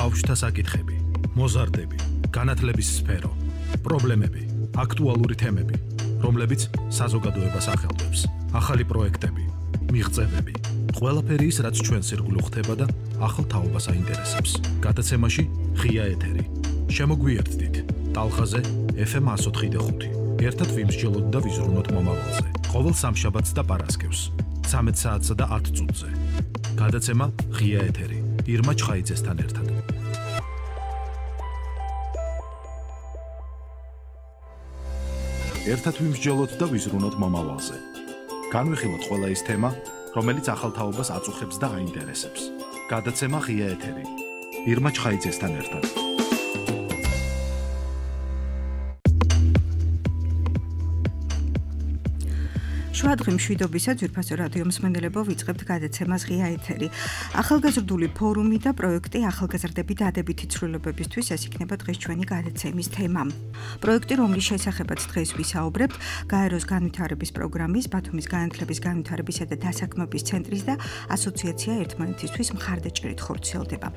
ბავშვთა საკითხები, მოზარდები, განათლების სფერო, პრობლემები, აქტუალური თემები, რომლებიც საზოგადოებას ახელვებს, ახალი პროექტები, მიღწევები, ყველაფერი ის, რაც ჩვენს ირგვლივ ხდება და ახალ თაობას აინტერესებს. გადაცემაში ღია ეთერი. შემოგვიერთდით ტალღაზე FM 104.5. ერთად ვიმსჯელოთ და ვიზრუნოთ მომავალზე. ყოველ სამშაბათს და პარასკევს 13 საათსა და 10 წუთზე. გადაცემა ღია ეთერი. ირმა ჩხაიძესთან ერთად. ერთად ვიმსჯელოთ და ვიზრუნოთ მომავალზე. განვიხილოთ ყველა ის თემა, რომელიც ახალ თაობას აწუხებს და აინტერესებს. გადაცემა ღია ეთერი. ირმა ჩხაიძესთან ერთად. შვადღი მშვიდობისა ძვირფასო რადიო მსმენელებო ვიწყებთ გადაცემას ღია ეთერი. ახალგაზრდული ფორუმი და პროექტი ახალგაზრდები დადებითი ცვლილებებისთვის ეს იქნება დღეს ჩვენი გადაცემის თემა. პროექტი, რომლის შესახებაც დღეს ვისაუბრებთ, გაეროს განვითარების პროგრამის, ბათუმის განათლების განვითარებისა და დასაქმების ცენტრის და ასოციაცია ერთმანეთისთვის მხარდაჭერით ხორციელდება.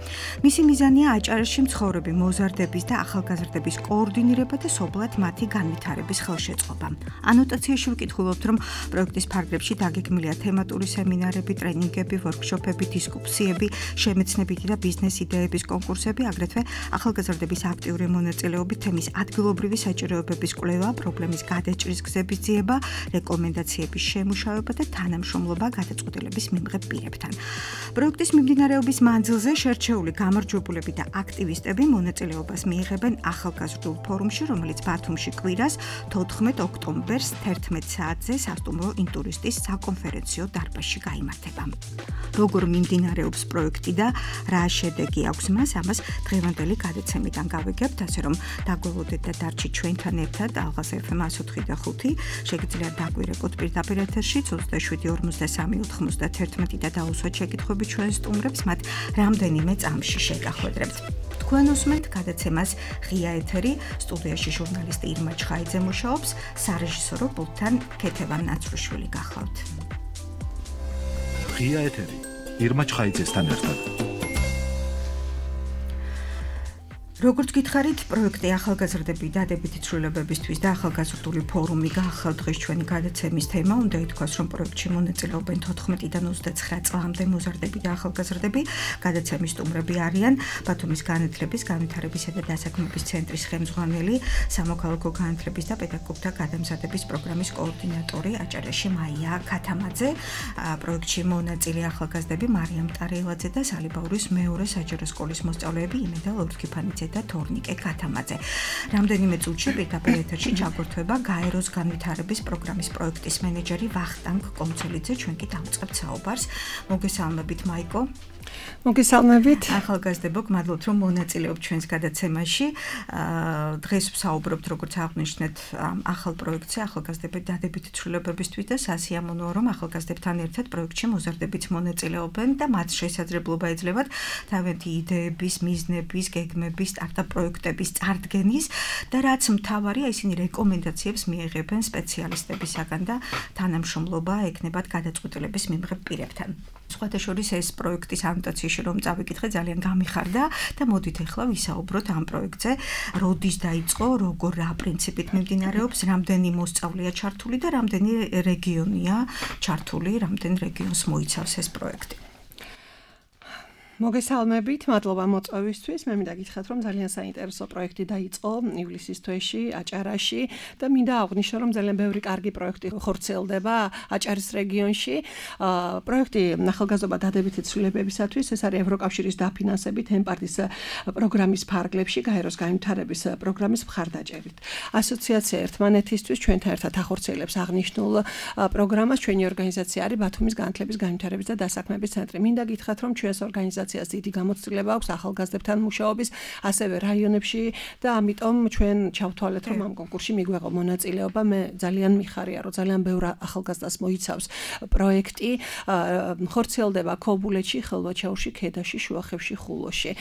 მისი მიზანია აჭარაში მცხოვრები მოზარდების და ახალგაზრდების კოორდინირება და სოფლად მათი განვითარების ხელშეწყობა. ანოტაციაში ვკითხულობთ, რომ პროექტის ფარგლებში დაგეგმილია თემატური სემინარები, ტრენინგები, ვორქშოპები, დისკუსიები, შემეცნებითი და ბიზნეს იდეების კონკურსები, აგრეთვე ახალგაზრდების აქტიური მონაწილეობით თემის ადგილობრივი საჭიროებების კვლევა, პრობლემის გადაჭრის გზების ძიება, რეკომენდაციების შემუშავება და თანამშრომლობა გადაწყვეტილების მიმღებ პირებთან. პროექტის მიმდინარეობის მანძილზე შერჩეული გამარჯვებულები და აქტივისტები მონაწილეობას მიიღებენ ახალგაზრდულ ფორუმში, რომელიც ბათუმში კვირას 14 ოქტომბერს 11 საათზე სასტუმრო ინტურისტის საკონფერენციო დარბაზში გაიმართება. როგორ მიმდინარეობს პროექტი და რა შედეგი აქვს მას, ამას დღევანდელი გადაცემიდან გავიგებთ, ასე რომ დაგველოდეთ და დარჩით ჩვენთან ერთად ალღას FM 104.5. შეგიძლიათ დაგვირეკოთ პირდაპირ ეთერში 27 43 91 და დაუსვათ შეკითხვები ჩვენ სტუმრებს, მათ რამდენიმე წამში შეგახვედრებთ. თქვენ უსმენთ გადაცემას ღია ეთერი, სტუდიაში ჟურნალისტი ირმა ჩხაიძე მუშაობს, სარეჟისორო პულტთან ქეთევან ნაცრუშვილი გახლავთ. ღია ეთერი. ირმა ჩხაიძესთან ერთად. როგორც გითხარით, პროექტი ახალგაზრდები დადებითი ცვლილებებისთვის და ახალგაზრდული ფორუმი გახლავთ დღეს ჩვენი გადაცემის თემა. უნდა ითქვას, რომ პროექტში მონაწილეობენ 14-დან 29 წლამდე მოზარდები და ახალგაზრდები. გადაცემის სტუმრები არიან ბათუმის განათლების, განვითარებისა და დასაქმების ცენტრის ხელმძღვანელი, სამოქალაქო განათლების და პედაგოგთა გადამზადების პროგრამის კოორდინატორი აჭარაში მაია ქათამაძე. პროექტში მონაწილე ახალგაზრდები მარიამ ტარიელაძე და სალიბაურის მეორე საჯარო სკოლის მოსწავლეები იმედა ლორთქიფანიძე და თორნიკე ქათამაძე. რამდენიმე წუთში პირდაპირ ეთერში ჩაგვერთვება გაეროს განვითარების პროგრამის პროექტის მენეჯერი ვახტანგ კომცელიძე. ჩვენ კი დავწყებთ საუბარს. მოგესალმებით მაიკო. მოგესალმებით. ახალგაზრდებო, გმადლობთ რომ მონაწილეობთ ჩვენს გადაცემაში. დღეს ვსაუბრობთ, როგორც აღნიშნეთ, ახალ პროექტზე ახალგაზრდების დადებითი ცვლილებებისთვის და სასიამოვნოა, რომ ახალგაზრდებთან ერთად პროექტში მოზარდებიც მონაწილეობენ და მათ შესაძლებლობა ეძლევათ თავიანთი იდეების, მიზნების, გეგმების, სტარტაპ პროექტების წარდგენის და რაც მთავარია, ისინი რეკომენდაციებს მიიღებენ სპეციალისტებისაგან და თანამშრომლობა ექნებათ გადაწყვეტილების მიმღებ პირებთან. სხვათა შორის ეს პროექტის ანოტაციაში რომ წავიკითხე ძალიან გამიხარდა და მოდით ახლა ვისაუბროთ ამ პროექტზე, როდის დაიწყო, როგორ რა პრინციპით მიმდინარეობს, რამდენი მოსწავლეა ჩართული და რამდენი რეგიონია ჩართული, რამდენ რეგიონს მოიცავს ეს პროექტი. მოგესალმებით, მადლობა მოწვევისთვის. მე მინდა გითხრათ, რომ ძალიან საინტერესო პროექტი დაიწყო ივლისის თვეში აჭარაში და მინდა აღვნიშნო, რომ ძალიან ბევრი კარგი პროექტი ხორციელდება აჭარის რეგიონში. პროექტი ახალგაზრდობა დადებითი ცვლილებებისათვის, ეს არის ევროკავშირის დაფინანსებით ემპარტის პროგრამის ფარგლებში გაეროს განვითარების პროგრამის მხარდაჭერით. ასოციაცია ერთმანეთისთვის ჩვენთან ერთად ახორციელებს აღნიშნულ პროგრამას. ჩვენი ორგანიზაცია არის ბათუმის განათლების, განვითარების და დასაქმების ცენტრი. მინდა გითხრათ, რომ ჩვენს ორგანიზაციას დიდი გამოცდილება აქვს ახალგაზრდებთან მუშაობის, ასევე რაიონებში და ამიტომ ჩვენ ჩავთვალეთ, რომ ამ კონკურსში მიგვეღო მონაწილეობა. მე ძალიან მიხარია, რომ ძალიან ბევრ ახალგაზრდას მოიცავს პროექტი. ხორციელდება ქობულეთში, ხელვაჩაურში, ქედაში, შუახევში, ხულოში.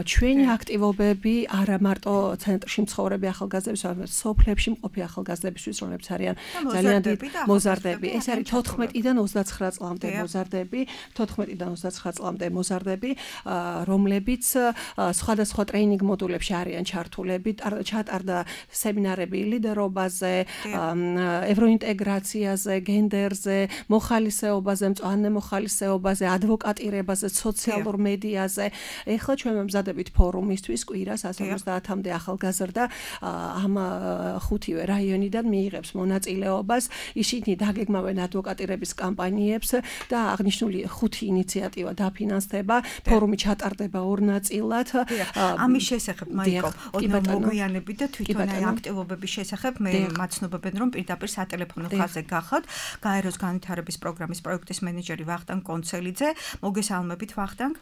ჩვენი აქტივობები არა მარტო ცენტრში მცხოვრები ახალგაზრდების, არამედ სოფლებში მყოფი ახალგაზრდებისთვის, რომლებიც არიან ძალიან დიდი მოზარდები. ეს არის 14-დან 29 წლამდე მოზარდები, 14-დან 29 წლამდე მოზარდები. პროფესორები, რომლებიც სხვადასხვა ტრეინინგ მოდულებში არიან ჩართულები, ჩატარდა სემინარები ლიდერობაზე, ევროინტეგრაციაზე, გენდერზე, მოხალისეობაზე, მწვანე მოხალისეობაზე, ადვოკატირებაზე, სოციალურ მედიაზე. ეხლა ჩვენ ვემზადებით ფორუმისთვის კვირას 150-მდე ახალგაზრდა ამ ხუთივე რაიონიდან მიიღებს მონაწილეობას. ისინი დაგეგმავენ ადვოკატირების კამპანიებს და აღნიშნული ხუთი ინიციატივა დაფინანსდება. ფორუმი ჩატარდება ორ ნაწილად. ამის შესახებ მაიკო, ოდნავ მოგვიანებით და თვითონ აი აქტივობების შესახებ მე მაცნობებენ რომ პირდაპირ სატელეფონო ხაზზე გახავთ. გაეროს განვითარების პროგრამის პროექტის მენეჯერი ვახტანგ კონცელიძე. მოგესალმებით ვახტანგ.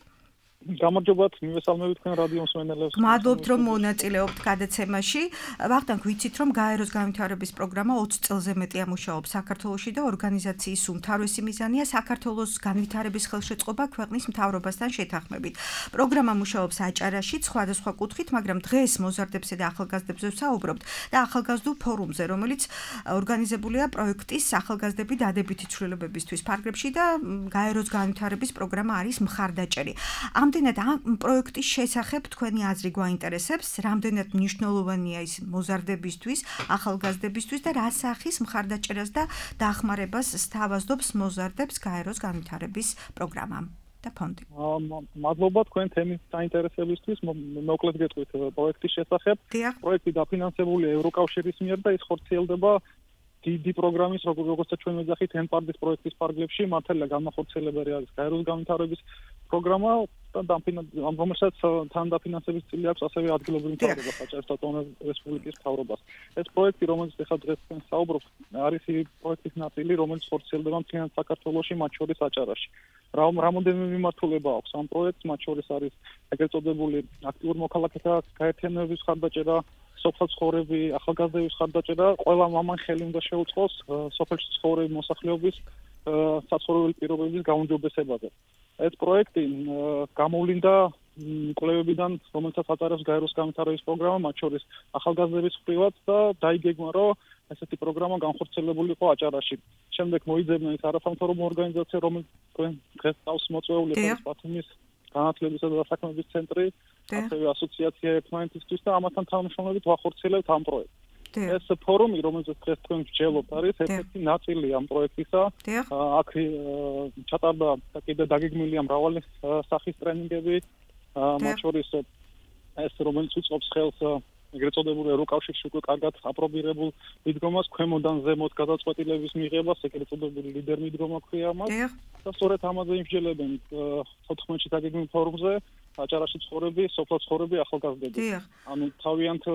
გამარჯობათ, მივესალმებით თქვენ რადიო მსმენელებს. მადლობთ რომ მონაწილეობთ გადაცემაში. ვახტანგ, ვიცით რომ გაეროს განვითარების პროგრამა 20 წელზე მეტია მუშაობს საქართველოში და ორგანიზაციის უმთავრესი მიზანია საქართველოს განვითარების ხელშეწყობა ქვეყნის მთავრობასთან შეთანხმებით. პროგრამა მუშაობს აჭარაში სხვადასხვა კუთხით, მაგრამ დღეს მოზარდებსა და ახალგაზრდებზე ვსაუბრობთ და ახალგაზრდულ ფორუმზე, რომელიც ორგანიზებულია პროექტის ახალგაზრდები დადებითი ცვლილებებისთვის ფარგლებში და გაეროს განვითარების პროგრამა არის მხარდაჭერი. Ამდენად ამ პროექტის შესახებ თქვენი აზრი გვაინტერესებს, რამდენად მნიშვნელოვანია ის მოზარდებისთვის, ახალგაზრდებისთვის და რა სახის მხარდაჭერას და დახმარებას სთავაზობს მოზარდებს გაეროს განვითარების პროგრამამ და ფონდი. მადლობა თქვენ თემის საინტერესებისთვის. მოკლედ გეტყვით პროექტის შესახებ. პროექტი დაფინანსებულია ევროკავშირის მიერ და ის ხორციელდება დიდი პროგრამის, როგორც ჩვენ ვეძახით, ENPARD-ის პროექტის ფარგლებში, მართალია განმახორციელებელი არის გაეროს განვითარების პროგრამა და რომელსაც თან დაფინანსების წილი აქვს ასევე ადგილობრივი მთავრობა, საჭიროთა რესპუბლიკის მთავრობას. ეს პროექტი, რომელიც ახლა დღეს თქვენ საუბრობთ, არის ის პროექტის ნაწილი, რომელიც ხორციელდება მთლიან საქართველოში, მათ შორის აჭარაში. რამოდენიმე მიმართულება აქვს ამ პროექტს, მათ შორის არის ეგრეთ წოდებული აქტიურ მოქალაქეთა გაერთიანების ხარდაჭერა, სოფელ ცხოვრები, ახალგაზრდების ხარდაჭერა, ყველა მამან ხელი უნდა შეუწყოს სოფელში ცხოვრების მოსახლეობის საცხოვრებელი პირობების გაუმჯობესებაზე. ეს პროექტი გამოვლინდა კვლევებიდან, რომელსაც აწარმოებს გაეროს განვითარების პროგრამა, მათ შორის ახალგაზრდების მხრივაც და დაიგეგმა, რომ ესეთი პროგრამა განხორციელებული იყო აჭარაში. შემდეგ მოიძებნა ის არასამთავრობო ორგანიზაცია, რომელიც დღეს წავს მოწვეული არის ბათუმის განათლებისა და დასაქმების ცენტრი, ასევე ასოციაცია ერთმანეთისთვის და ამასთან თანამშრომლობით ვახორციელებთ ამ პროექტს. ეს ფორუმი, რომელზეც დღეს თქვენ ვსჯელობთ, არის ერთ-ერთი ნაწილი ამ პროექტისა. აქ ჩატარდა და კიდე დაგეგმილია მრავალი სახის ტრენინგები, მათ შორის ეს რომელიც უწყობს ხელს ეგრეთ წოდებული ევროკავშირში უკვე კარგად აპრობირებულ მიდგომას, ქვემოდან ზემოთ გადაწყვეტილების მიღებას, ეგრეთ წოდებული ლიდერ მიდგომა ქვია მას. და სწორედ ამაზე იმსჯელებენ 14-ში დაგეგმილ ფორუმზე აჭარაში ცხოვრები, სოფელ ცხოვრები, ახალგაზრდები. ანუ თავიანთ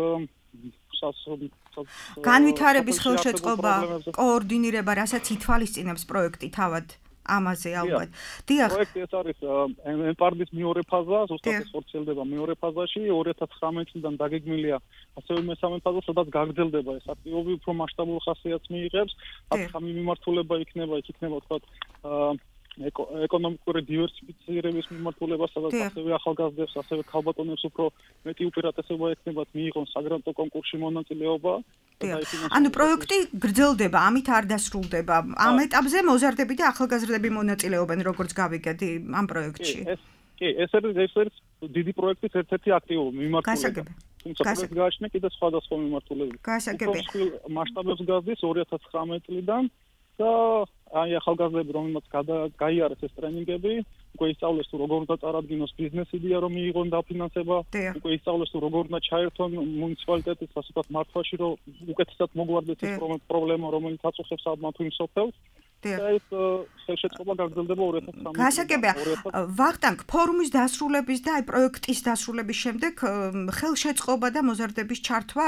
განვითარების ხელშეწყობა, კოორდინირება, რასაც ითვალისწინებს პროექტი თავად ამაზე ალბათ. პროექტი ეს არის ENPARD-ის მეორე ფაზა, ზუსტად ეს ხორციელდება მეორე ფაზაში, 2019 წლიდან დაგეგმილია ასევე მესამე ფაზა, სადაც გაგრძელდება ეს აქტივობები, უფრო მასშტაბურ ხასიათს მიიღებს, ახალი მიმართულება იქნება, თქვათ ეკონომიკური დივერსიფიცირების მიმართულება, სადაც ასევე ახალგაზრდებს, ასევე ქალბატონებს უფრო მეტი უპირატესობა ექნებათ მიიღონ საგრანტო კონკურსში მონაწილეობა. ანუ პროექტი გრძელდება, ამით არ დასრულდება. ამ ეტაპზე მოზარდები და ახალგაზრდები მონაწილეობენ, როგორც გავიგეთ ამ პროექტში. ეს არის დიდი პროექტის ერთ-ერთი აქტივობა, მიმართულება. თუმცა პროექტი გააჩნია კიდევ სხვადასხვა მიმართულებით. მასშტაბებს გაზრდის 2019 წლიდან და აი ახალგაზრდები, რომელმაც გაიარეს ეს ტრენინგები, უკვე ისწავლეს თუ როგორ უნდა წარადგინოს ბიზნეს იდეა, რომ მიიღონ დაფინანსება, უკვე ისწავლეს თუ როგორ უნდა ჩაერთონ მუნიციპალიტეტის ასე ვთქვათ მართვაში, რომ უკეთესად მოგვარდეს ეს პრობლემა, რომელიც აწუხებს ალბათ იმ სოფელს. და ეს ხელშეწყობა გაგრძელდება 2013 წელს. გასაგებია, ვახტანგ, ფორუმის დასრულების და აი პროექტის დასრულების შემდეგ ხელშეწყობა და მოზარდების ჩართვა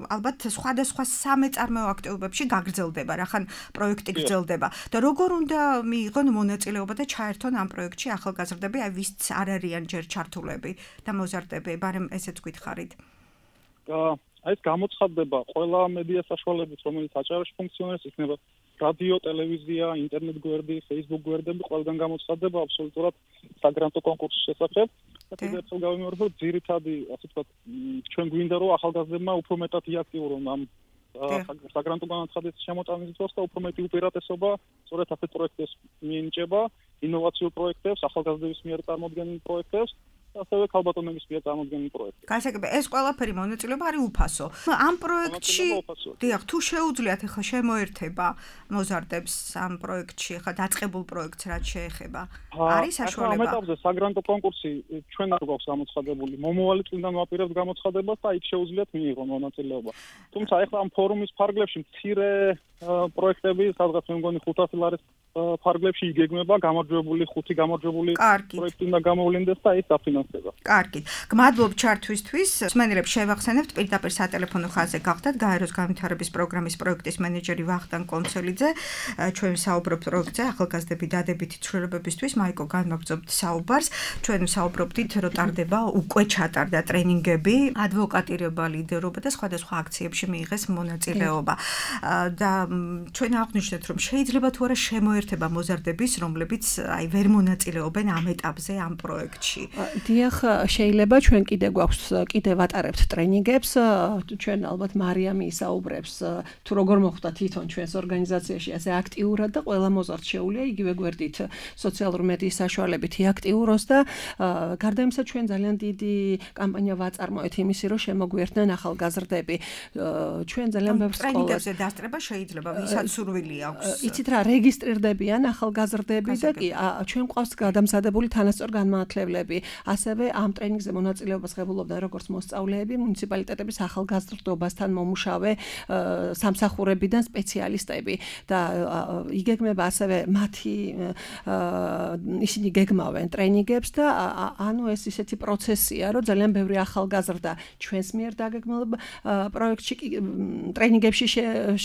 ალბათ სხვადასხვა სამეწარმეო აქტივობებში გაგრძელდება, რახან პროექტი გრძელდება. და როგორ უნდა მიიღონ მონაწილეობა და ჩაერთონ ამ პროექტში ახალგაზრდები, აი ვინც არ არიან ჯერ ჩართულები და მოზარდები, ბარემ ესეც გითხარით. აი ეს გამოცხადდება ყველა მედია საშუალებით, რომელიც აჭარაში ფუნქციონირებს, იქნება რადიო, ტელევიზია, ინტერნეტ გვერდი, Facebook გვერდები, ყველგან გამოცხადდება აბსოლუტურად საგრანტო კონკურსის შესახებ. და კიდევ ერთხელ გავიმეორებ, რომ ძირითადი, ასე ვთქვათ, ჩვენ გვინდა რომ ახალგაზრდებმა უფრო მეტად იაქტიურონ ამ საგრანტო განაცხადის შემოტანის დროს და უფრო მეტი უპირატესობა სწორედ ასეთ პროექტებს მიენიჭება, ინოვაციურ პროექტებს, ახალგაზრდების მიერ წარმოდგენილ პროექტებს. ასევე ქალბატონების მიერ წარმოდგენილ პროექტებს. გასაგებია, ეს ყველაფერი მონაწილეობა არის უფასო. ამ პროექტში, დიახ, თუ შეუძლიათ ახლა შემოერთება მოზარდებს ამ პროექტში, ახლა დაწყებულ პროექტს რაც შეეხება, არის საშუალება. ამ ეტაპზე საგრანტო კონკურსი ჩვენ არ გვაქვს გამოცხადებული. მომავალი წლიდან ვაპირებთ გამოცხადებას და იქ შეუძლიათ მიიღონ მონაწილეობა. თუმცა ახლა ამ ფორუმის ფარგლებში მცირე პროექტები, სადღაც მე მგონი 500 ლარის ფარგლებში იგეგმება, გამარჯვებული 5 გამარჯვებული პროექტი უნდა გამოვლინდეს და ის დაფინანსდება. კარგი. გმადლობ ჩართვისთვის. მსმენელებს შევახსენებთ პირდაპირ სატელეფონო ხაზზე გახდათ გაეროს განვითარების პროგრამის პროექტის მენეჯერი ვახტანგ კონცელიძე. ჩვენ საუბრობთ პროექტზე ახალგაზრდები დადებითი ცვლილებებისთვის. მაიკო, განმაგრძობთ საუბარს. ჩვენ საუბრობდით, რომ ტარდება უკვე ჩატარდა ტრენინგები, ადვოკატირება, ლიდერობა და სხვადასხვა აქციებში მიიღეს მონაწილეობა. და ჩვენ აღვნიშნეთ, რომ შეიძლება თუ არა შემოერთება მოზარდების, რომლებიც აი ვერ მონაწილეობენ ამ ეტაპზე ამ პროექტში. დიახ, შეიძლება ჩვენ კიდევ ვატარებთ ტრენინგებს, ჩვენ ალბათ მარიამი ისაუბრებს თუ როგორ მოხდა თვითონ ჩვენს ორგანიზაციაში ასე აქტიურად და ყველა მოზარდ შეუძლია იგივე გვერდით სოციალურ მედიის საშუალებით იაქტიუროს და გარდა იმისა ჩვენ ძალიან დიდი კამპანია ვაწარმოეთ იმისი, რომ შემოგვიერთდნენ ახალგაზრდები. ჩვენ ძალიან ბევრ სკოლას ტრენინგებზე დასწრება შეიძლება, ვისაც სურვილი აქვს. იცით რა, რეგისტრირდებიან ახალგაზრდები და კი ჩვენ ყავს გადამზადებული თანასწორ განმაათლებლები. ასევე ამ ტრენინგზე მონაწილეობას ღებულობდნენ როგორც მოსწავლეები, მუნიციპალიტეტების ახალგაზრდობასთან მომუშავე სამსახურებიდან სპეციალისტები და იგეგმება ასევე მათი ისინი გეგმავენ ტრენინგებს და ანუ ეს ისეთი პროცესია, რომ ძალიან ბევრი ახალგაზრდა ჩვენს მიერ დაგეგმილ პროექტში ტრენინგებში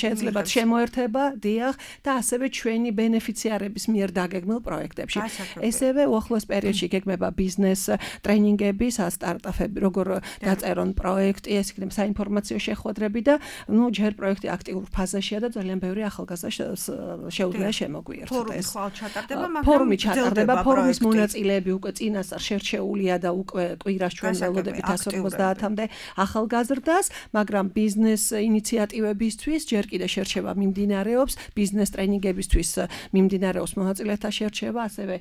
შეიძლება შემოერთება, დიახ, და ასევე ჩვენი ბენეფიციარების მიერ დაგეგმილ პროექტებში. ესევე უახლოეს პერიოდში გეგმება ბიზნეს ტრენინგები, სტარტაპები, როგორ დაწერონ პროექტი, ეს იქნება საინფორმაციო შეხვედრები და ჯერ პროექტი აქტიურ ფაზაშია და ძალიან ბევრი ახალგაზრდა შეუძლია შემოგვიერთდეს. ფორუმი ხვალ ჩატარდება, მაგრამ ფორუმი ჩატარდება, ფორუმის მონაწილეები უკვე წინასწარ შერჩეულია და უკვე კვირას ჩვენ ველოდებით 150-მდე ახალგაზრდას, მაგრამ ბიზნეს ინიციატივებისთვის ჯერ კიდევ შერჩევა მიმდინარეობს, ბიზნეს ტრენინგებისთვის მიმდინარეობს მონაწილეთა შერჩევა, ასევე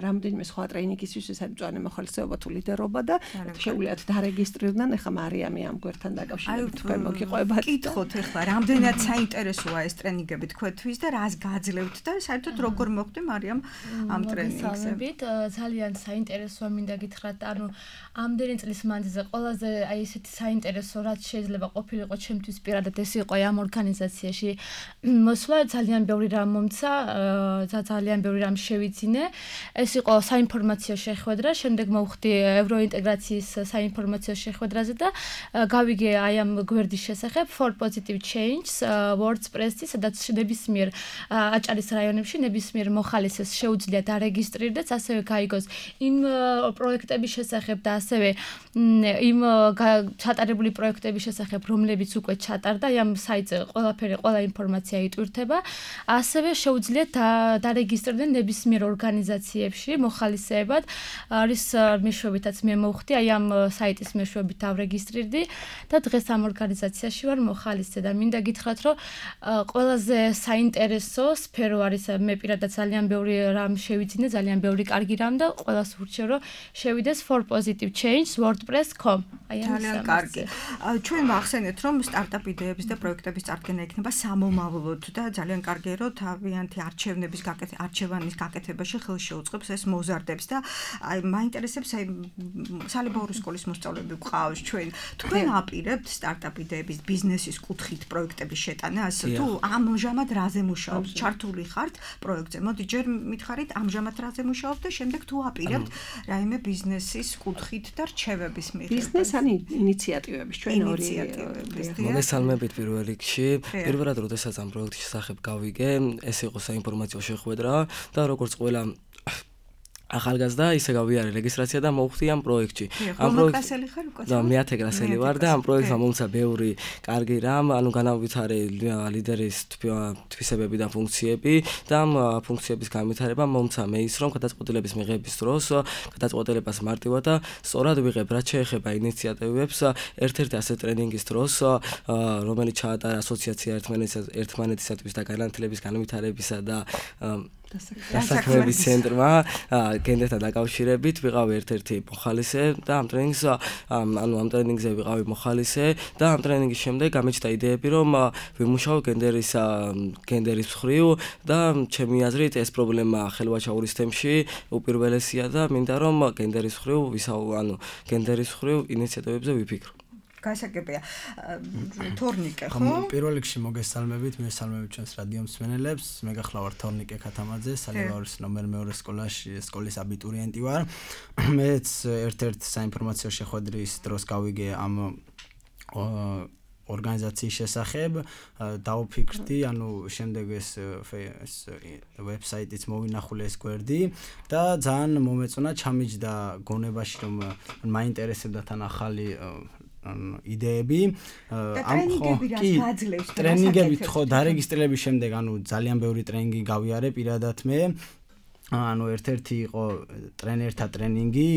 რამდენიმე სხვა ტრენინგისთვის ეს არის მწვანე მოხალისეობა თუ ლიდერობა და შეუძლიათ დარეგისტრირდნენ. ეხლა მარიამი ამ გვერდთან დაკავშირებით თქვენ მოგიყვებათ. კითხოთ ეხლა, რამდენად საინტერესოა ეს ტრენინგები თქვენთვის და რას გაძლევთ და საერთოდ როგორ მოხდა მარიამ ამ ტრენინგზე? ძალიან საინტერესოა, მინდა გითხრათ, ანუ ამდენი წლის მანძილზე ყველაზე აი ესეთი საინტერესო რაც შეიძლება ყოფილიყო ჩემთვის პირადად ეს იყო ამ ორგანიზაციაში. მოსვლა ძალიან ბევრი რამ მომცა, ძალიან ბევრი რამ შევიძინე. ეს იყო საინფორმაციო შეხვედრა, შემდეგ მოვხდი ევროინტეგრაციის საინფორმაციო შეხვედრაზე და გავიგე აი ამ გვერდის შესახებ for positive change WordPress-ი, სადაც ნებისმიერ აჭარის რაიონებში ნებისმიერ მოხალისეს შეუძლია დარეგისტრირდეს, ასევე გაიგოს იმ პროექტების შესახებ და ასევე იმ ჩატარებული პროექტების შესახებ, რომლებიც უკვე ჩატარდა, ამ საიტზე ყველა ინფორმაცია იტვირთება. ასევე შეუძლია დარეგისტრირდნენ ნებისმიერ ორგანიზაციებში მოხალისეებად. არის მეშვეობითაც მე მოვხდი, აი ამ საიტის მეშვეობით დავრეგისტრირდი და დღეს ამ ორგანიზაციაში ვარ მოხალისე და მინდა გითხრათ, რომ ყველაზე საინტერესო სფერო არის, მე პირადად ძალიან ბევრი რამ შევიძინე, ძალიან ბევრი კარგი რამ და ყველას ვურჩევ, რომ შევიდეს for positive change wordpress.com. ძალიან კარგი. ჩვენ ვახსენეთ, რომ სტარტაპ იდეების და პროექტების წარდგენა იქნება სამომავლოდ და ძალიან კარგია, რომ თავიანთი არჩევანის გაკეთებაში ხელს შეუწყობს ეს მოზარდებს და აი მაინტერესებს აი სალებაური სკოლის მოსწავლეები გვყავს ჩვენ. თქვენ აპირებთ სტარტაპ იდეების ბიზნესის კუთხით პროექტების შეტანას? თუ ამჟამად რაზე მუშაობთ? ჩართული ხართ პროექტზე? მოდი ჯერ მითხარით ამჟამად რაზე მუშაობთ და შემდეგ თუ აპირებთ რაიმე ბიზნესის კუთხით და რჩევების მიღებას? ბიზნეს ან ინიციატივების ჩვენ ორი მოგესალმებით პირველ რიგში. პირველად როდესაც ამ პროექტის შესახებ გავიგე, ეს იყო საინფორმაციო შეხვედრა და როგორც ყველა ახალგაზრდა ისე გავიარე რეგისტრაცია და მოვხდი ამ პროექტში. ამ პროექტში ხარ უკვე? და მე 10 კლასელი ვარ და ამ პროექტმა მომცა ბევრი კარგი რამ, ანუ განავითარე ლიდერის თვისებები და ფუნქციები და ამ ფუნქციების განვითარება მომცა მე ის რომ გადაწყვეტილების მიღების დროს გადაწყვეტილებას მარტივად და სწორად ვიღებ, რაც შეეხება ინიციატივებს, ერთ-ერთი ასე ტრენინგის დროს, რომელიც ჩაატარა ასოციაცია ერთმანეთისათვის და განათლების განვითარებისა და დასაქმების ცენტრმა გენდერთან დაკავშირებით ვიყავი ერთ-ერთი მოხალისე და ამ ტრენინგზე ვიყავი მოხალისე და ამ ტრენინგის შემდეგ გამეჩნდა იდეები რომ ვიმუშაო გენდერის მხრივ და ჩემი აზრით ეს პრობლემა ხელვაჩაურის თემში უპირველესია და მინდა რომ გენდერის მხრივ ინიციატივებზე ვიფიქრო. გასაგებია. თორნიკე, ხო? პირველ რიგში მოგესალმებით, მესალმებით ჩვენს რადიო მსმენელებს. მე გახლავარ თორნიკე ქათამაძე, სალევარის ნომერ მეორე სკოლის აბიტურიენტი ვარ. მეც ერთ-ერთ საინფორმაციო შეხვედრის დროს გავიგე ამ ორგანიზაციის შესახებ, დავფიქრდი, ანუ შემდეგ ეს ვებსაიტიც მოვინახულე ეს გვერდი და ძალიან მომეწონა, ჩამიჯდა გონებაში რომ მაინტერესებდა თან ახალი იდეები ტრენინგებით ხო დარეგისტრირების შემდეგ ანუ ძალიან ბევრი ტრენინგი გავიარე პირადად მე ანუ ერთ-ერთი იყო ტრენერთა ტრენინგი,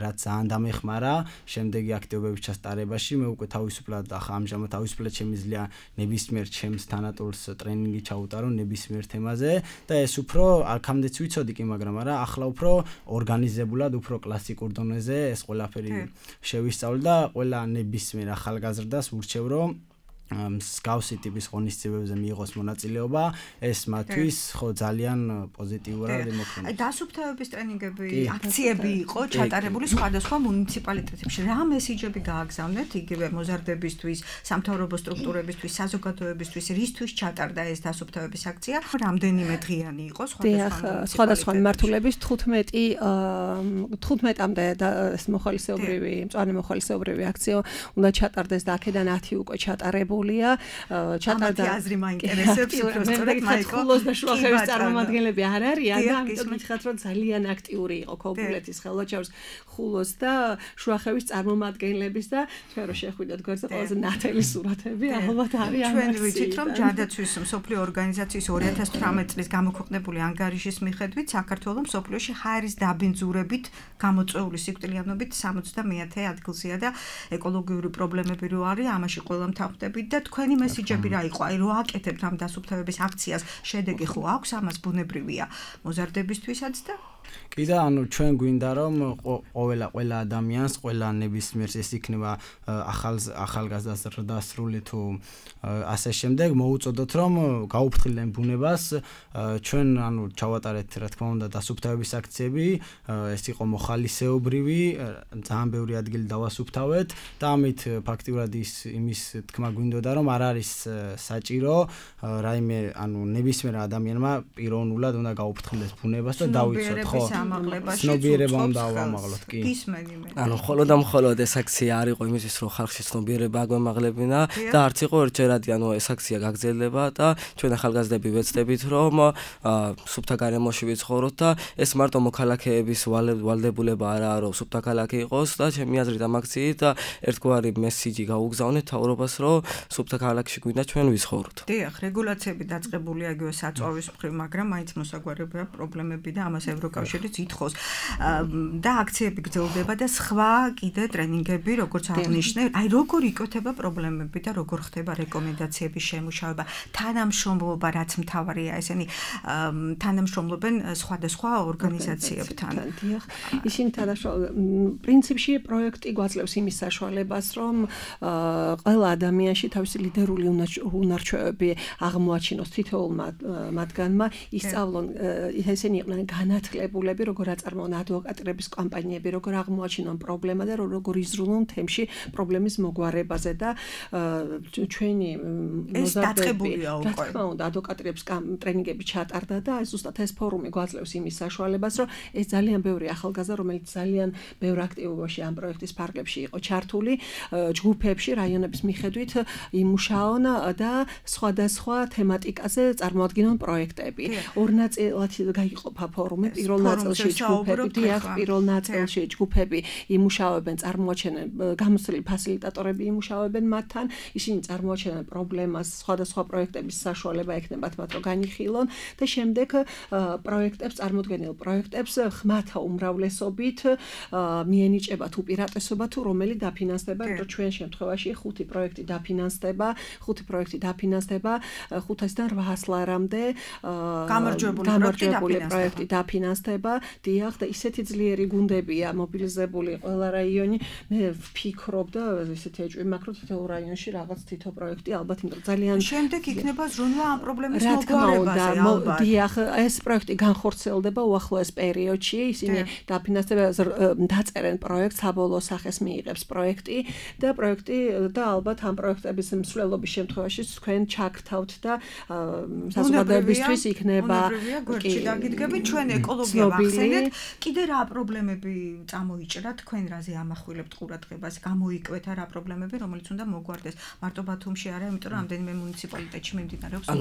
რაც ძალიან დამეხმარა შემდეგი აქტივობების ჩასტარებაში. მე უკვე თავისუფლად ახლა ამჟამად თავისუფლად შემიძლია ნებისმიერ ჩემს თანატოლს ტრენინგი ჩაუტარო ნებისმიერ თემაზე და ეს უფრო აქამდეც ვიცოდი კი, მაგრამ არა, ახლა უფრო ორგანიზებულად, უფრო კლასიკურ დონეზე ეს ყველაფერი შევისწავლე და ყველა ნებისმიერ ახალგაზრდას ურჩევ რომ მსგავსი ტიპის ღონისძიებებზე მიიღოს მონაწილეობა, ეს მათთვის ხო ძალიან პოზიტიურად ემოქმედება. დასუფთავების ტრენინგები, აქციები იყო ჩატარებული სხვადასხვა მუნიციპალიტეტებში. რა მესიჯები გააგზავნეთ იგივე მოზარდებისთვის, სამთავრობო სტრუქტურებისთვის, საზოგადოებისთვის, რისთვის ჩატარდა ეს დასუფთავების აქცია? რამდენიმე დღიანი იყო სხვადასხვა მიმართულების 15-მდე ეს მოხალისეობრივი, მწვანე მოხალისეობრივი აქცია უნდა ჩატარდეს და აქედან 10 უკვე ჩატარებული ჩატარდა აზრი მაინტერესებს უბრალოდ მაიკო ხულოს და შუახევის წარმომადგენლები არ არიან და ამიტომ გითხრათ რომ ძალიან აქტიური იყო ქობულეთის ხელვაჩაურის ხულოს და შუახევის წარმომადგენლების და ჩვენ რო შეხვიდეთ გვერდზე ყველაზე ნათელი სურათები ალბათ არის ჩვენ ვიცით რომ ჯანდაცვის მსოფლიო ორგანიზაციის 2018 წლის გამოქვეყნებული ანგარიშის მიხედვით საქართველოს მსოფლიოში ჰაერის დაბინძურებით გამოწვეული სიკვდილიანობით 70-ე ადგილზეა და ეკოლოგიური პრობლემები რო არის ამაში ყველა მთავრდები და თქვენი მესიჯები რა იყო? აი რო აკეთებთ ამ დასუფთავების აქციას, შედეგი ხო აქვს ამას ბუნებრივია მოზარდებისთვისაც და კი და ანუ ჩვენ გვინდა რომ ყველა ადამიანს, ყველა ნებისმიერს ეს იქნება ახალგაზრდას რდასრული თუ ასე შემდეგ მოუწოდოთ რომ გაუფრთხილდნენ ბუნებას, ჩვენ ანუ ჩავატარეთ რა თქმა უნდა დასუფთავების აქციები, ეს იყო მოხალისეობრივი, ძალიან ბევრი ადგილი დავასუფთავეთ და ამით ფაქტიურად იმის თქმა გვინდოდა რომ არ არის საჭირო რაიმე ანუ ნებისმიერ ადამიანმა პიროვნულად უნდა გაუფრთხილდეს ბუნებას და დავიცოთ ხო ცნობიერება უნდა ავამაღლოთ კი ანუ მხოლოდ ეს აქცია არ იყო იმისთვის რომ ხალხში ცნობიერება აგვემაღლებინა და არც იყო ერთჯერადი ანუ ეს აქცია გაგრძელდება და ჩვენ ახალგაზრდები ვეცდებით რომ სუფთა გარემოში ვიცხოვროთ და ეს მარტო მოქალაქეების ვალდებულება არაა რომ სუფთა ქალაქი იყოს და ჩემი აზრით ამ აქციით ერთგვარი მესიჯი გაუგზავნეთ თავრობას რომ სუფთა ქალაქში გვინდა ჩვენ ვიცხოვროთ. დიახ, რეგულაციები დაწყებულია იგივე საწვავის მხრივ, მაგრამ მაინც მოსაგვარებია პრობლემები და ამას ევროკავშირიც ითხოვს. და აქციები გრძელდება და სხვა კიდე ტრენინგები, როგორც აღნიშნე, აი როგორ იკვეთება პრობლემები და როგორ ხდება რეკომენდაციების შემუშავება, თანამშრომლობა, რაც მთავარია, ესენი თანამშრომლობენ სხვადასხვა ორგანიზაციებთან. დიახ, ისინი პრინციპში პროექტი გვაძლევს იმის საშუალებას, რომ ყველა ადამიანში თავისი ლიდერული უნარჩვევები აღმოაჩინოს თითოეულ მათგანმა, ისწავლონ ესენი იყვნენ განათლებულები, როგორ აწარმოონ ადვოკატირების კამპანიები, როგორ აღმოაჩინონ პრობლემა და როგორ იზრუნონ თემში პრობლემის მოგვარებაზე და ჩვენი მოზარდებულია უკვე. რა თქმა უნდა, ადვოკატირების ტრენინგები ჩატარდა და ზუსტად ეს ფორუმი გვაძლევს იმის საშუალებას, რომ ეს ძალიან ბევრი ახალგაზრდა, რომელიც ძალიან ბევრ აქტივობაში ამ პროექტის ფარგლებში იყო ჩართული, ჯგუფებში, რაიონების მიხედვით იმუშაონ და სხვადასხვა თემატიკაზე წარმოადგენენ პროექტები. ორ ნაწილად გაიყოფა ფორუმი. პირველ პირველ ნაწილში ჯგუფები, პირველ ნაწილში ჯგუფები იმუშავებენ, წარმოაჩენენ გამოცდილი ფასილიტატორები იმუშავებენ მათთან, ისინი წარმოაჩენენ პრობლემას, სხვადასხვა პროექტების საშუალება ექნებათ მათ რომ განიხილონ და შემდეგ პროექტებს წარმოდგენილ პროექტებს ხმათა უმრავლესობით მიენიჭებათ უპირატესობა თუ რომელი დაფინანსდება, იმიტომ რომ ჩვენ შემთხვევაში 5 პროექტი დაფინანსდება 500-დან 800 ლარამდე გამარჯვებული პროექტი დაფინანსდება, დიახ და ისეთი ძლიერი გუნდებია მობილიზებული ყველა რაიონი. მე ვფიქრობ და ისეთი ეჭვი მაქვს რომ თითოეულ რაიონში რაღაც თითო პროექტი ალბათ იმიტომ ძალიან შემდეგ იქნება ზრუნვა ამ პრობლემის მოგვარებაზე ალბათ. დიახ, ეს პროექტი განხორციელდება უახლოეს პერიოდში, ისინი დაწერენ პროექტს, საბოლოო სახეს მიიღებს პროექტი და ალბათ ამ პროექტების მსვლელობის შემთხვევაში თქვენ ჩაგთავთ და საზოგადოებისთვის იქნება გორჩი დაგიდგებით ჩვენ ეკოლოგია ვახსენეთ, კიდე რა პრობლემები წამოიჭრა თქვენ რაზე ამახვილებთ ყურადღებას, გამოიკვეთა რა პრობლემები, რომელიც უნდა მოგვარდეს მარტო ბათუმში არა, იმიტომ რომ ამდენიმე მუნიციპალიტეტში მიმდინარეობს ამ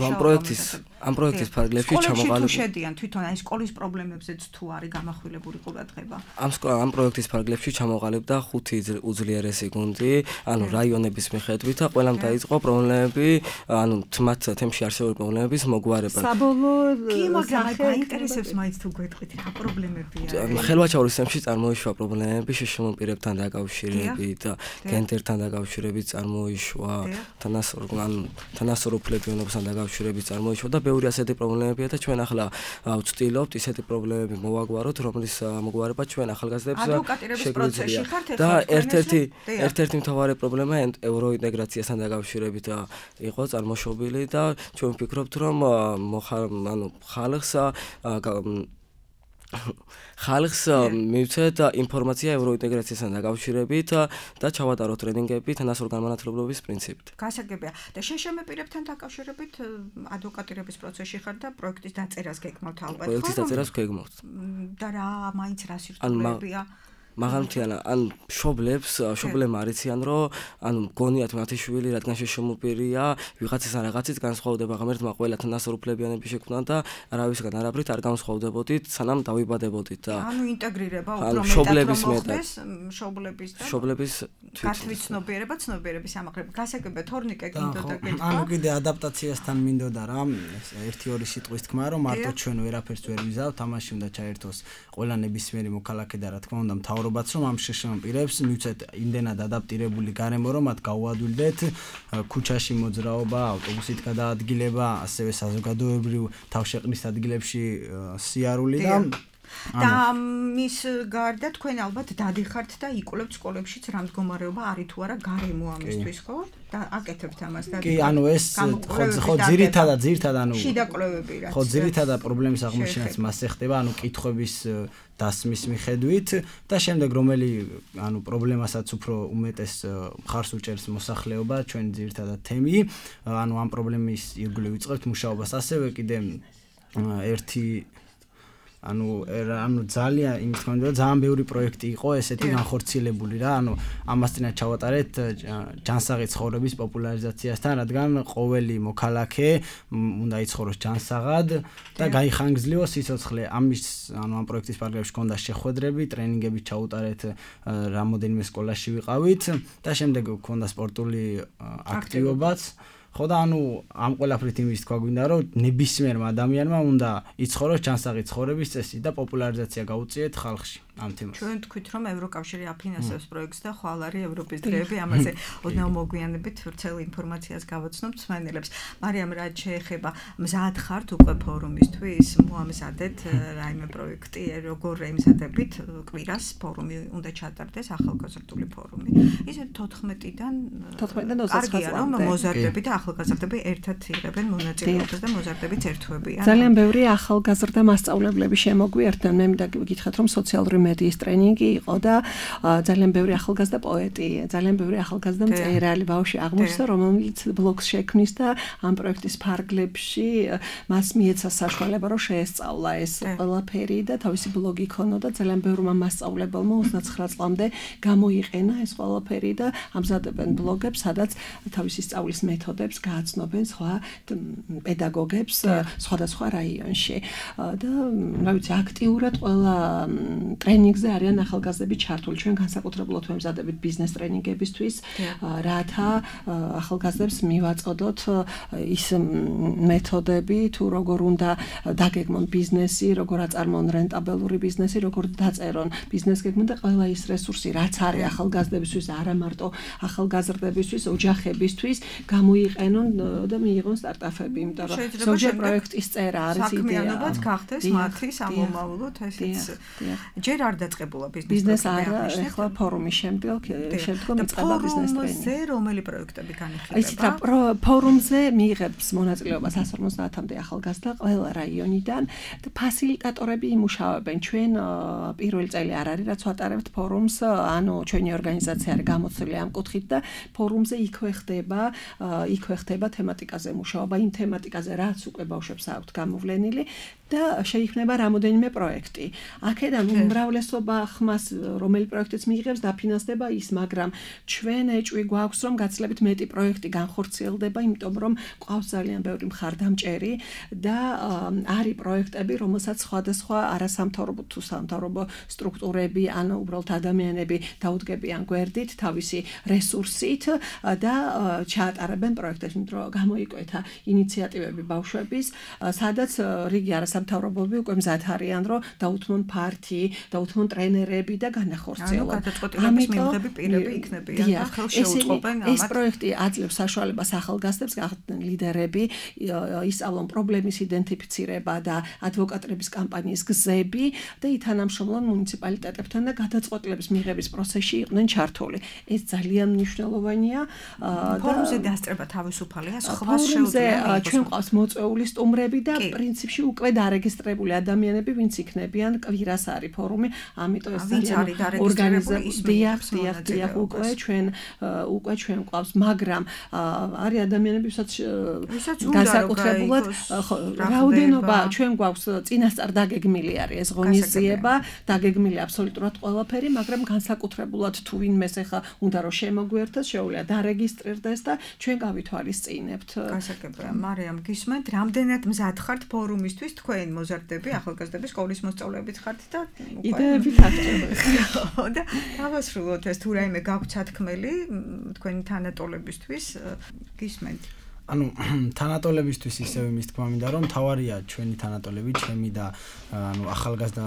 პროექტის ფარგლებში ჩამოყალიბებული შედიან თვითონ აი სკოლის პრობლემებზეც თუ არის გამახვილებული ყურადღება. ამ პროექტის ფარგლებში ჩამოყალიბდა 5 უძლიერესი გუნდი, რაიონების მიხედვით და ყველამ დაიწყო პრობლემები, მათ თემში არსებული პრობლემების მოგვარება. მაგრამ გაინტერესებს მაინც თუ გვეტყვით რა პრობლემებია. ხელვაჩაურის თემში წარმოიშვა პრობლემები შეშმოპირებთან დაკავშირებით და გენდერთან დაკავშირებით წარმოიშვა, თანასწორუფლებიანობასთან დაკავშირებით წარმოიშვა და ბევრი ასეთი პრობლემებია და ჩვენ ახლა ვცდილობთ ისეთი პრობლემები მოვაგვაროთ, რომლის მოგვარება ჩვენ ახალგაზრდებს შეგვიძლია. და ერთ-ერთი მთავარი პრობლემა ევროინტეგრაციასთან დაკავშირებით იყო წარმოშობილი და ჩვენ ვფიქრობთ, რომ ხალხს მივცეთ ინფორმაცია ევროინტეგრაციასთან დაკავშირებით და ჩავატაროთ ტრენინგები თანასწორი განმანათლებლობის პრინციპით. გასაგებია და შეშმოპირებთან დაკავშირებით ადვოკატირების პროცესში ხარ და პროექტის დაწერას გეგმავთ ალბათ. პროექტის დაწერას გეგმავთ. და რა მაინც რა სირთულეებია? მაგალითად, შობლებმა არიციან, რომ მგონიათ მათი შვილი, რადგან შეშმოპირია, ვიღაცისგან რაღაცით განსხვავდება, ღმერთმა ყველა თანასწორუფლებიანები შექმნა და არავისგან არაფრით არ განსხვავდებოდით, სანამ დავიბადებოდით და ინტეგრირება უფრო მეტად შობლების გათვითცნობიერება, ცნობიერების ამაღლება. გასაგებია, თორნიკე გინდოდა გეთქვა. კიდე ადაპტაციასთან მინდოდა რა, 1-2 სიტყვის თქმა, რომ მარტო ჩვენ ვერაფერს ვერ ვიზავთ, ამაში უნდა ჩაერთოს ყველა ნებისმიერი მოქალაქე და რა თქმა უნდა მთავრობაც რომ ამ შეშმოპირებს მივცეთ იმდენად ადაპტირებული გარემო რომ მათ გაუადვილდეთ ქუჩაში მოძრაობა, ავტობუსით გადაადგილება, ასევე საზოგადოებრივ თავშეყრის ადგილებში სიარული და მის გარდა თქვენ ალბათ დადიხართ და იკვლევთ სკოლებშიც რა მდგომარეობა არის თუ არა გარემო ამისთვის, ხო? და აკეთებთ ამას და კი, ეს ხო ძირითადად შიდა კვლევები რაც ხო ძირითადად პრობლემის აღმოჩენაც მასზე ხდება, კითხვების დასმის მიხედვით და შემდეგ რომელი პრობლემასაც უფრო უმეტეს მხარს უჭერს მოსახლეობა, ჩვენ ძირითადად თემი, ამ პრობლემის ირგვლივ ვიწყებთ მუშაობას. ასევე კიდე ერთი ძალიან ბევრი პროექტი იყო ესეთი განხორციელებული რა, ამასთანავე ჩავატარეთ ჯანსაღი ცხოვრების პოპულარიზაციასთან, რადგან ყოველი მოქალაქე უნდა იცხოვროს ჯანსაღად და გაიხანგრძლივოს სიცოცხლე. ამ პროექტის ფარგლებში ჰქონდა შეხვედრები, ტრენინგები ჩაუტარეთ, რამოდენიმე სკოლაში ვიყავით და შემდეგ ჰქონდა სპორტული აქტივობაც. ხო და ამ ყველაფრით იმის თქვა გვინდა რომ ნებისმიერმა ადამიანმა უნდა იცხოვროს ჯანსაღი ცხოვრების წესი და პოპულარიზაცია გაუწიეთ ხალხში ამ თემას. ჩვენ თქვით რომ ევროკავშირი აფინანსებს პროექტს და ხვალ არის ევროპის დღეები, ამაზე ოდნავ მოგვიანებით ვრცელ ინფორმაციას გავაცნობთ მსმენელებს. მარიამ, რაც შეეხება მზად ხართ უკვე ფორუმისთვის, მოამზადეთ რაიმე პროექტი, როგორ ემზადებით კვირას ფორუმი უნდა ჩატარდეს, ახალგაზრდული ფორუმი. ისე 14-დან 29-ს რომ მოზარდები და ახალგაზრდები ერთად იღებენ მონაწილეობას და მოზარდებიც ერთვებიან. ძალიან ბევრი ახალგაზრდა მასწავლებლები შემოგვიერთდნენ. მე მინდა გითხრათ რომ სოციალური მედიის ტრენინგი იყო და ძალიან ბევრი ახალგაზრდა პოეტი, ძალიან ბევრი ახალგაზრდა მწერალი ბავშვი აღმოჩნდა, რომელიც ბლოგს შექმნის და ამ პროექტის ფარგლებში მას მიეცა საშუალება, რომ შეესწავლა ეს ყველაფერი და თავისი ბლოგი ქონოდა. ძალიან ბევრმა მასწავლებელმა 29 წლამდე გამოიყენა ეს ყველაფერი და ამზადებენ ბლოგებს, სადაც თავისი სწავლის მეთოდებს გააცნობენ სხვა პედაგოგებს სხვადასხვა რაიონში. და რა ვიცი, აქტიურად ყველა ტრენინგზე არიან ახალგაზრდები ჩართული. ჩვენ განსაკუთრებულად ვემზადებით ბიზნეს ტრენინგებისთვის, რათა ახალგაზრდებს მივაწოდოთ ის მეთოდები, თუ როგორ უნდა დაგეგმონ ბიზნესი, როგორ აწარმოონ რენტაბელური ბიზნესი, როგორ დაწერონ ბიზნეს გეგმა და ყველა ის რესურსი, რაც არის ახალგაზრდებისთვის, არა მარტო ახალგაზრდებისთვის, ოჯახებისთვის, გამოიყენონ და მიიღონ სტარტაპები, იმიტომ რომ ზოგჯერ პროექტის წერა არის იდეა. საქმიანობაც გახდეს მათი სამომავლოდ, ესეც ჯერ არ დაწყებულა ბიზნეს არა, ახლა ფორუმის შემდგომ იწყება ბიზნეს ტრენინგი. რომელი პროექტები განიხილება? იცით რა, ფორუმზე მიიღებს მონაწილეობას 150-მდე ახალგაზრდა ყველა რაიონიდან და ფასილიტატორები იმუშავებენ. ჩვენ პირველი წელი არ არის, რაც ვატარებთ ფორუმს, ანუ ჩვენი ორგანიზაცია არის გამოცვლილი ამ კუთხით და ფორუმზე იქვე ხდება თემატიკაზე მუშაობა, იმ თემატიკაზე, რაც უკვე ბავშვებს აქვთ გამოვლენილი და შეიქმნება რამოდენიმე პროექტი. აქედან უმრავლესობა ხმას, რომელი პროექტიც მიიღებს, დაფინანსდება ის, მაგრამ ჩვენ ეჭვი გვაქვს, რომ გაცილებით მეტი პროექტი განხორციელდება, იმიტომ რომ ყავს ძალიან ბევრი მხარდამჭერი და არის პროექტები, რომელსაც სხვადასხვა არასამთავრობო თუ სამთავრობო სტრუქტურები, ან უბრალოდ ადამიანები დაუდგებიან გვერდით თავისი რესურსით და ჩაატარებენ პროექტებს, იმიტომ რომ გამოიკვეთა ინიციატივები ბავშვების, სადაც რიგი არასამთავრობოები უკვე მზად არიან, რომ დაუთმონ ფართი, დაუთმონ ტრენერები და განახორციელონ. გადაწყვეტილების მიღები პირები იქნებიან და ხელს შეუწყობენ ამათ. ეს პროექტი აძლევს საშუალებას ახალგაზრდებს გახდნენ ლიდერები, ისწავლონ პრობლემის იდენტიფიცირება და ადვოკატების კამპანიის გზები და ითანამშრომლონ მუნიციპალიტეტებთან და გადაწყვეტილების მიღების პროცესში იყვნენ ჩართული. ეს ძალიან მნიშვნელოვანია. ფორუმზე დასწრება თავისუფალია, სხვა შეუძლია. ჩვენ ყავს მოწვეული სტუმრები და პრინციპში უკვე დარეგისტრირებული ადამიანები, ვინც იქნებიან, კვირას არის ფორუმი, ამიტომ ეს ძალიან ორგანიზებულია, უკვე ჩვენ ყავს, მაგრამ არის ადამიანები, ვისაც განსაკუთრებულად რაოდენობა ჩვენ გვაქვს წინასწარ დაგეგმილი არის ეს ღონისძიება, დაგეგმილი აბსოლუტურად ყველაფერი, მაგრამ განსაკუთრებულად თუ ვინმეს ახლა უნდა რომ შემოგვიერთოს, შეუძლია დარეგისტრირდეს და ჩვენ გავითვალისწინებთ. გასაგებია, მარიამ, გისმენთ, რამდენად მზად ხართ ფორუმისთვის, თქვენ მოზარდები, ახალგაზრდები, სკოლის მოსწავლეებით ხართ და იდეები თარგმნით. და დავასრულოთ ეს თუ რაიმე გაქვთ სათქმელი თქვენი თანატოლებისთვის, გისმენთ. ანუ თანატოლებისთვის ისევ იმის თქმა მინდა რომ თავარია ჩვენი თანატოლები, ჩემი და ანუ ახალგაზრდა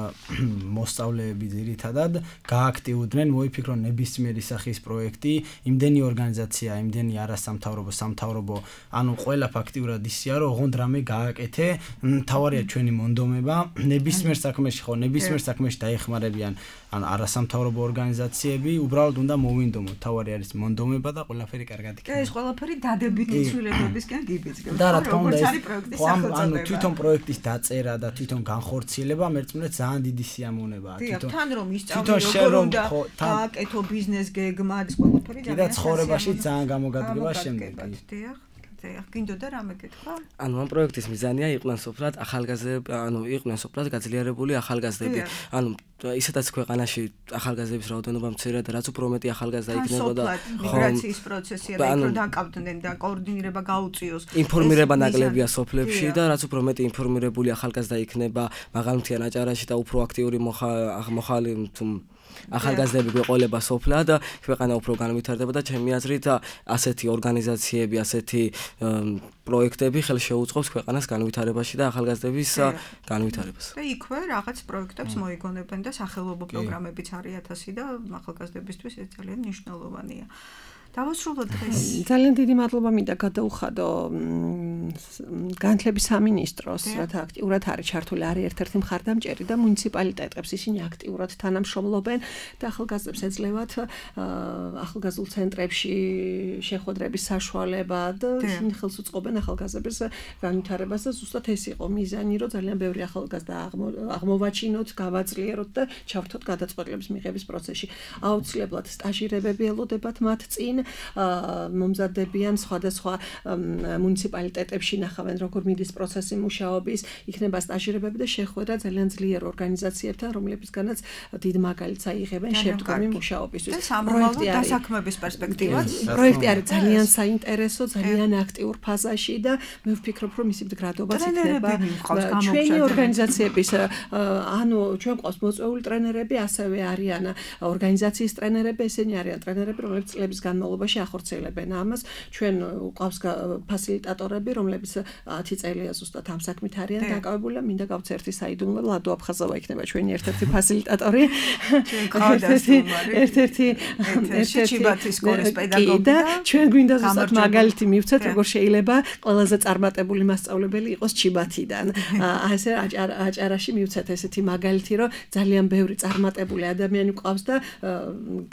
მოსწავლეები ძირითადად გააქტიურდნენ, მოიფიქრონ ნებისმიერი სახის პროექტი, იმდენი ორგანიზაცია, იმდენი არასამთავრობო, სამთავრობო, ანუ ყველა ფაქტიურად ისია, რომ ოღონდ რამე გააკეთე, თავარია ჩვენი მონდომება, ნებისმიერ საქმეში დაეხმარებიან ან არასამთავრობო ორგანიზაციები, უბრალოდ უნდა მოვინდომოთ, თავარი არის მონდომება და ყველაფერი კარგად იქნება. ეს ყველაფერი დადებითი ცვლილებებისგან გიბიძგება. და რა თქმა უნდა, ანუ თვითონ პროექტის დაწერა და თვითონ განხორციელება მერწმუნეთ ძალიან დიდი სიამოვნებაა. თან რომ ისწავლო რომ გააკეთო ბიზნეს გეგმა, ეს ყველაფერი და ცხოვრებაში ძალიან გამოგადგება შემდეგი. გინდოდა რამე გეთქვა? ანუ ამ პროექტის მიზანია იყვნენ სოფლად ახალგაზრდები, ანუ იყვნენ სოფლად გაძლიერებული ახალგაზრდები. ანუ ისედაც ქვეყანაში ახალგაზრდების რაოდენობა მცირეა და რაც უფრო მეტი ახალგაზრდა იქნებოდა, მიგრაციის პროცესია და იქ რომ დაკავდნენ და კოორდინირება გაუწიოს. ინფორმირება ნაკლებია სოფლებში და რაც უფრო მეტი ინფორმირებული ახალგაზრდა იქნება მაღალმთიან აჭარაში და უფრო აქტიური მოხალი ახალგაზრდები გვეყოლება სოფლად და ქვეყანა უფრო განვითარდება და ჩემი აზრით ასეთი ორგანიზაციები, ასეთი პროექტები ხელს შეუწყობს ქვეყანას განვითარებაში და ახალგაზრდების განვითარებას. და იქვე რაღაც პროექტებს მოიგონებენ და სახელმწიფო პროგრამებიც არის 1000 და ახალგაზრდებისთვის ეს ძალიან მნიშვნელოვანია. დავასრულოთ დღეს. ძალიან დიდი მადლობა მინდა გადაუხადო განათლების სამინისტროს, რათა აქტიურად არის ჩართული არის ერთ-ერთი მხარდამჭერი და მუნიციპალიტეტებს ისინი აქტიურად თანამშრომლობენ და ახალგაზრდებს ეძლევათ ახალგაზრდულ ცენტრებში შეხვედრების საშუალება და ისინი ხელს უწყობენ ახალგაზრდების განვითარებას და ზუსტად ეს იყო მიზანი, რომ ძალიან ბევრი ახალგაზრდა აღმოვაჩინოთ, გავაძლიეროთ და ჩავთოთ გადაწყვეტილების მიღების პროცესში. აუცილებლად სტაჟირებები ელოდებათ მათ წინ, მომზადებიან სხვადასხვა მუნიციპალიტეტებში ნახავენ როგორ მიდის პროცესი მუშაობის, იქნება სტაჟირებები და შეხვედრა ძალიან ძლიერ ორგანიზაციებთან, რომლებისგანაც დიდ მაგალითს აიღებენ შემდგომი მუშაობისთვის. პროექტი დასაქმების პერსპექტივაც. პროექტი არის ძალიან საინტერესო, ძალიან აქტიურ ფაზაში და მე ვფიქრობ, რომ მისი მდგრადობაც იქნება ჩვენი ორგანიზაციების, ანუ ჩვენ ყავს მოწვეული ტრენერები, ასევე არიან ორგანიზაციის ტრენერები, ესენი არიან ტრენერები, რომლებიც წლების განმავლობაში ახორციელებენ ამას. ჩვენ ყავს ფასილიტატორები, რომლებიც 10 წელია ზუსტად ამ საქმით არიან დაკავებული და მინდა გავც ერთი საიდუმლო ლადო აფხაზოვა იქნება ჩვენი ერთ-ერთი ფასილიტატორი. ერთ-ერთი ჩიბათის სკოლის პედაგოგი და ჩვენ გვინდა ზუსტად მაგალითი მივცეთ, როგორ შეიძლება ყველაზე წარმატებული მასწავლებელი იყოს ჩიბათიდან. ასე აჭარაში მივცეთ ესეთი მაგალითი, რომ ძალიან ბევრი წარმატებული ადამიანი ყავს და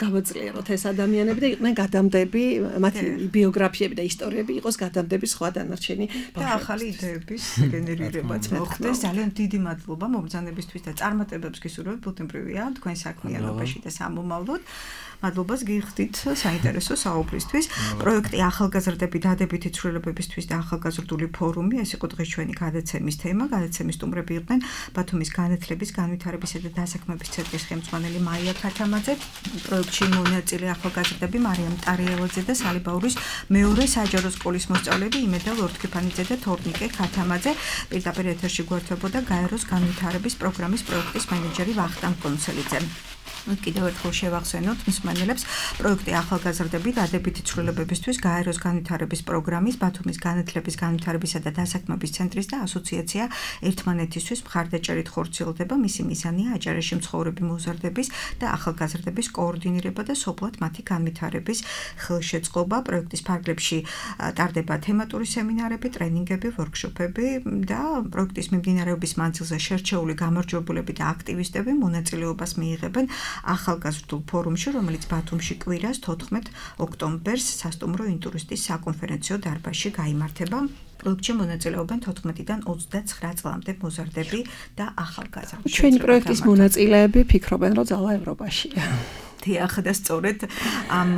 გავაძლიეროთ ეს ადამიანები და იყვნენ გადამდები, მათი ბიოგრაფიები და ისტორიები იყოს გადამდები სხვა დანარჩენი და ახალი იდეების გენერირებაც მოხდეს. ძალიან დიდი მადლობა მომბრძანებისთვის და წარმატებებს გისურვებთ ბუთმფრევია თქვენ საქმიანობაში და სამომავლოდ. მადლობას გიხდით საინტერესო საუბრისთვის. პროექტი ახალგაზრდები დადებითი ცვლილებებისთვის და ახალგაზრდული ფორუმი, ეს იყო დღეს ჩვენი გადაცემის თემა. გადაცემის სტუმრები იყვნენ ბათუმის განათლების, განვითარებისა და დასაქმების ცენტრის ხელმძღვანელი მაია ქათამაძე, პროექტში მონაწილე ახალგაზრდები მარიამ ტარიელაძე და სალიბაურის მეორე საჯარო სკოლის მოსწავლეები იმედა ლორთქიფანიძე და თორნიკე ქათამაძე. პირდაპირ ეთერში გვერდებოდა გაეროს განვითარების პროგრამის პროექტის მენეჯერი ვახტანგ კონცელიძე. კიდევ ერთხელ შევახსენოთ მსმენელებს, პროექტი ახალგაზრდები დადებითი ცვლილებებისთვის გაეროს განვითარების პროგრამის, ბათუმის განათლების, განვითარებისა და დასაქმების ცენტრის და ასოციაცია ერთმანეთისთვის მხარდაჭერით ხორციელდება. მისი მიზანია აჭარაში მცხოვრები მოზარდების და ახალგაზრდების კოორდინირება და სოფლად მათი განვითარების ხელშეწყობა. პროექტის ფარგლებში ტარდება თემატური სემინარები, ტრენინგები, ვორქშოპები და პროექტის მიმდინარეობის მანძილზე შერჩეული გამარჯვებულები და აქტივისტები მონაწილეობას მიიღებენ ახალგაზრდულ ფორუმში, რომელიც ბათუმში კვირას 14 ოქტომბერს სასტუმრო ინტურისტის საკონფერენციო დარბაზში გაიმართება. პროექტში მონაწილეობენ 14-დან 29 წლამდე მოზარდები და ახალგაზრდები. ჩვენი პროექტის მონაწილეები ფიქრობენ, რომ ძალა ევროპაშია. დიახ და სწორედ ამ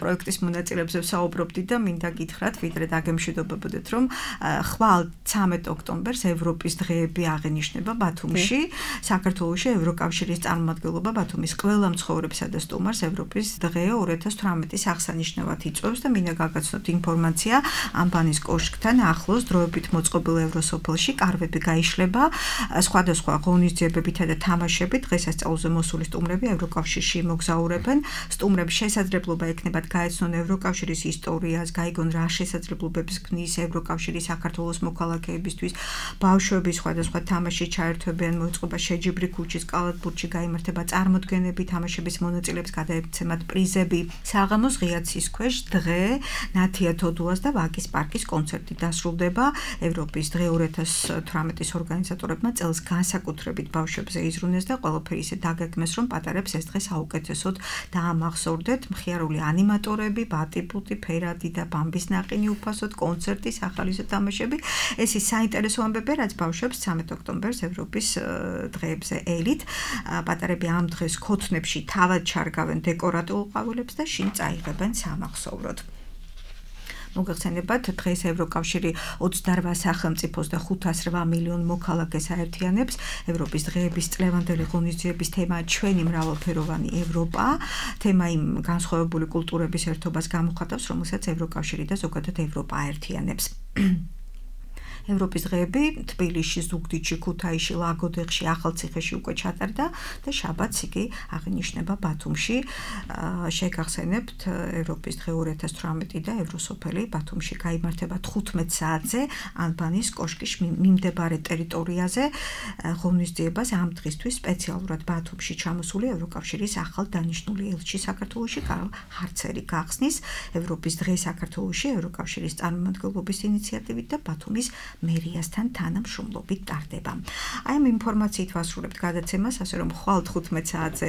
პროექტის მონაწილეებზე ვსაუბრობდი და მინდა გითხრათ, ვიდრე დაგემშვიდობებოდეთ, რომ ხვალ 13 ოქტომბერს ევროპის დღეები აღენიშნება ბათუმში. საქართველოში ევროკავშირის წარმომადგენლობა ბათუმის ყველა მცხოვრებსა და სტუმარს ევროპის დღე 2018-ის აღსანიშნავად იწვევს და მინდა გაგაცნოთ ინფორმაცია ამბანის კოშკთან ახლოს დროებით მოწყობილ ევროსოფელში კარვები გაიშლება, სხვადასხვა ღონისძიებებითა და თამაშებით დღესასწაულზე მოსული სტუმრები ევროკავშირში მოგზაურებენ. სტუმრებს შესაძლებლობა ექნებათ გაეცნონ ევროკავშირის ისტორიას, გაიგონ რა შესაძლებლობებს ქმნის ევროკავშირის საქართველოს მოქალაქეებისთვის. ბავშვები სხვადასხვა თამაში ჩაერთვებიან, მოიწყება შეჯიბრი ქუჩის კალათბურთში გაიმართება წარმოდგენები, თამაშების მონაწილეებს გადაეცემათ პრიზები. საღამოს ღია ცის ქვეშ დღე, ნათია თოდუას და ვაკის პარკის კონცერტი დასრულდება. ევროპის დღე 2018-ის ორგანიზატორებმა წელს განსაკუთრებით ბავშვებზე იზრუნეს და ყველაფერი ისე დაგეგმეს, რომ პატარებს ეს დღე საუკეთესოდ დაამახსოვრდეთ. მხიარული ანიმატორები, ბატი-პუტი, ფერადი და ბამბის ნაყინი უფასოდ, კონცერტი, სახალისო თამაშები. ეს ის საინტერესო ამბები, რაც ბავშვებს 13 ოქტომბერს ევროპის დღეებზე ელით. პატარები ამ დღეს ქოთნებში თავად ჩარგავენ დეკორატიულ ყვავილებს და შინ წაიღებენ სამახსოვროდ. მოგეხსენებათ, დღეს ევროკავშირი 28 სახელმწიფოს და 508 მილიონ მოქალაქეს აერთიანებს. ევროპის დღეების წლევანდელი ღონისძიების თემაა ჩვენი მრავალფეროვანი ევროპა. თემა იმ განსხვავებული კულტურების ერთობას გამოხატავს, რომელსაც ევროკავშირი და ზოგადად ევროპა აერთიანებს. ევროპის დღეები თბილისში, ზუგდიდში, ქუთაისში, ლაგოდეხში, ახალციხეში უკვე ჩატარდა და შაბათს იგი აღინიშნება ბათუმში. შეგახსენებთ, ევროპის დღე 2018 და ევროსოფელი ბათუმში გაიმართება 15 საათზე ალბანის კოშკის მიმდებარე ტერიტორიაზე. ღონისძიებას ამ დღისთვის სპეციალურად ბათუმში ჩამოსული ევროკავშირის ახალ დანიშნული ელჩი საქართველოში კარლ ჰარცერი გახსნის. ევროპის დღე საქართველოში ევროკავშირის წარმომადგენლობის ინიციატივით და ბათუმის მერიასთან თანამშრომლობით ტარდება. აი ამ ინფორმაციით ვასრულებთ გადაცემას, ასე რომ ხვალ 15 საათზე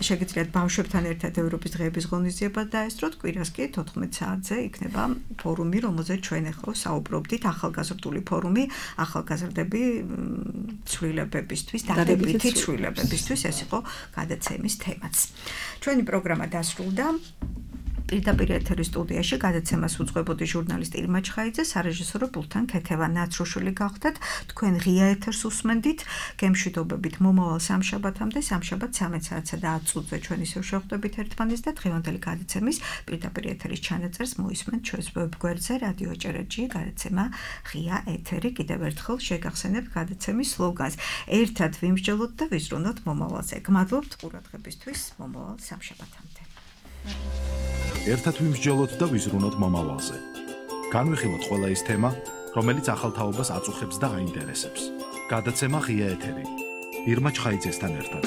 შეგიძლიათ ბავშვებთან ერთად ევროპის დღეების ღონისძიება დაესწროთ, კვირას კი 14 საათზე იქნება ფორუმი, რომელზეც ჩვენ ახლა საუბრობდით, ახალგაზრდული ფორუმი, ახალგაზრდები ცვლილებებისთვის, დადებითი ცვლილებებისთვის, ეს იყო გადაცემის თემაც. ჩვენი პროგრამა დასრულდა. პირდაპირ ეთერის სტუდიაში გადაცემას უძღვებოდი ჟურნალისტი ირმა ჩხაიძე, სარეჟისორო ბულთან ქეთევა ნაცროშვილი გახდათ. თქვენ ღია ეთერს უსმენდით, გემშვიდობებით მომავალ სამშაბათამდე, სამშაბათ 13 საათსა და 10 წუთზე ჩვენ ისევ შევხვდებით ერთმანეთს და დღევანდელი გადაცემის პირდაპირ ეთერის ჩანაწერს მოისმენთ ჩვენს ვებგვერდზე რადიო ჭერაჭი გადაცემა ღია ეთერი. კიდევ ერთხელ შეგახსენებთ გადაცემის სლოგანს: ერთად ვიმსჯელოთ და ვიზრუნოთ მომავალზე. გმადლობთ ყურადღებისთვის, მომავალ სამშაბათამდე. ერთად ვიმსჯელოთ და ვიზრუნოთ მომავალზე. განვიხილოთ ყველა ის თემა, რომელიც ახალ თაობას აწუხებს და აინტერესებს. გადაცემა ღია ეთერი. ირმა ჩხაიძესთან ერთად.